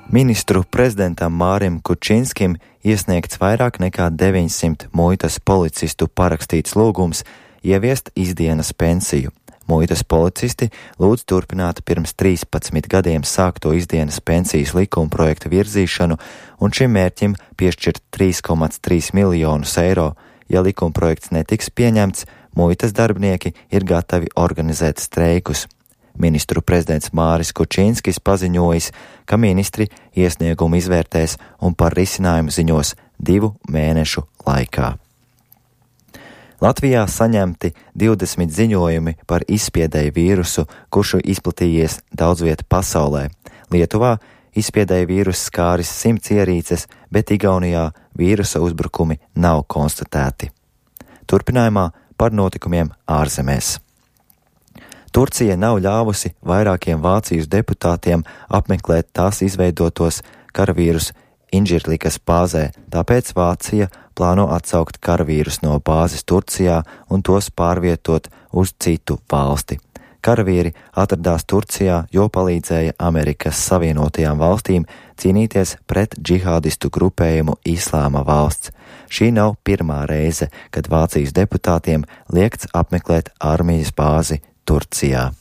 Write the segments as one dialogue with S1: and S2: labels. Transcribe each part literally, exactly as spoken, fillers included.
S1: Ministru prezidentam Mārim Kučinskim iesniegts vairāk nekā deviņsimt muitas policistu parakstīts lūgums ieviest izdienas pensiju. Muitas policisti lūdz turpināt pirms trīspadsmit gadiem sākto izdienas pensijas likuma projekta virzīšanu un šim mērķim piešķirt trīs komats trīs miljonus eiro. Ja likuma projekts netiks pieņemts, muitas darbinieki ir gatavi organizēt streikus. Ministru prezidents Māris Kučinskis paziņojis, ka ministri iesniegumu izvērtēs un par risinājumu ziņos divu mēnešu laikā. Latvijā saņemti divdesmit ziņojumi par izspiedēju vīrusu, kurš izplatījies daudz viet pasaulē. Lietuvā izspiedēju vīrusu skāris simts ierīces, bet Igaunijā vīrusa uzbrukumi nav konstatēti. Turpinājumā par notikumiem ārzemēs. Turcija nav ļāvusi vairākiem Vācijas deputātiem apmeklēt tās izveidotos karavīrus Inžirlikas bāzē, tāpēc Vācija plāno atsaukt karavīrus no bāzes Turcijā un tos pārvietot uz citu valsti. Karavīri atradās Turcijā, jo palīdzēja Amerikas Savienotajām valstīm cīnīties pret džihādistu grupējumu Islāma valsts. Šī nav pirmā reize, kad Vācijas deputātiem liekts apmeklēt armijas bāzi Turcijā.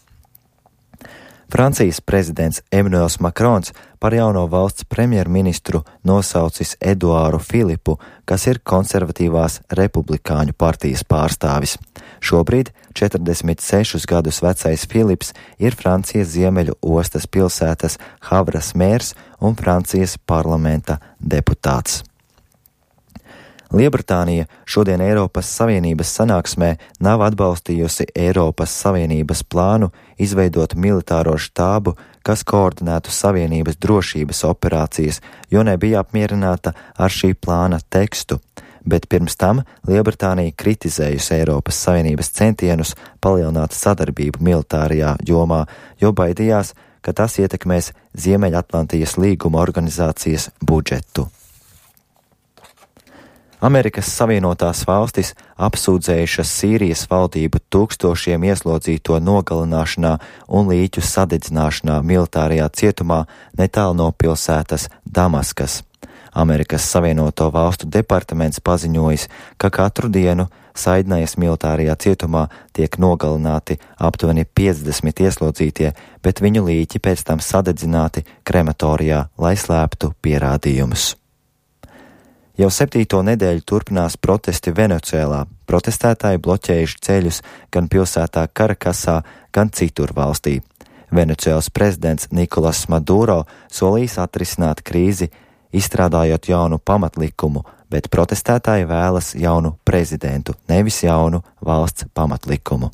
S1: Francijas prezidents Emmanuels Macrons par jauno valsts premjerministru nosaucis Eduāru Filipu, kas ir konservatīvās republikāņu partijas pārstāvis. Šobrīd četrdesmit sešus gadus vecais Filips ir Francijas ziemeļu ostas pilsētas Havras mērs un Francijas parlamenta deputāts. Lielbritānija šodien Eiropas Savienības sanāksmē nav atbalstījusi Eiropas Savienības plānu izveidot militāro štābu, kas koordinētu Savienības drošības operācijas, jo nebija apmierināta ar šī plāna tekstu. Bet pirms tam Lielbritānija kritizējusi Eiropas Savienības centienus palielināt sadarbību militārajā jomā, jo baidījās, ka tas ietekmēs Ziemeļatlantijas līguma organizācijas budžetu. Amerikas Savienotās valstis apsūdzējušas Sīrijas valdību tūkstošiem ieslodzīto nogalināšanā un līķu sadedzināšanā militārajā cietumā netālu no pilsētas Damaskas. Amerikas Savienoto valstu departaments paziņojis, ka katru dienu Saidnajas militārajā cietumā tiek nogalināti aptuveni piecdesmit ieslodzītie, bet viņu līķi pēc tam sadedzināti krematorijā, lai slēptu pierādījumus. Jau septīto nedēļu turpinās protesti Venecuēlā. Protestētāji bloķējuši ceļus gan pilsētā Karakasā, gan citur valstī. Venecuēlas prezidents Nikolas Maduro solīs atrisināt krīzi, izstrādājot jaunu pamatlikumu, bet protestētāji vēlas jaunu prezidentu, nevis jaunu valsts pamatlikumu.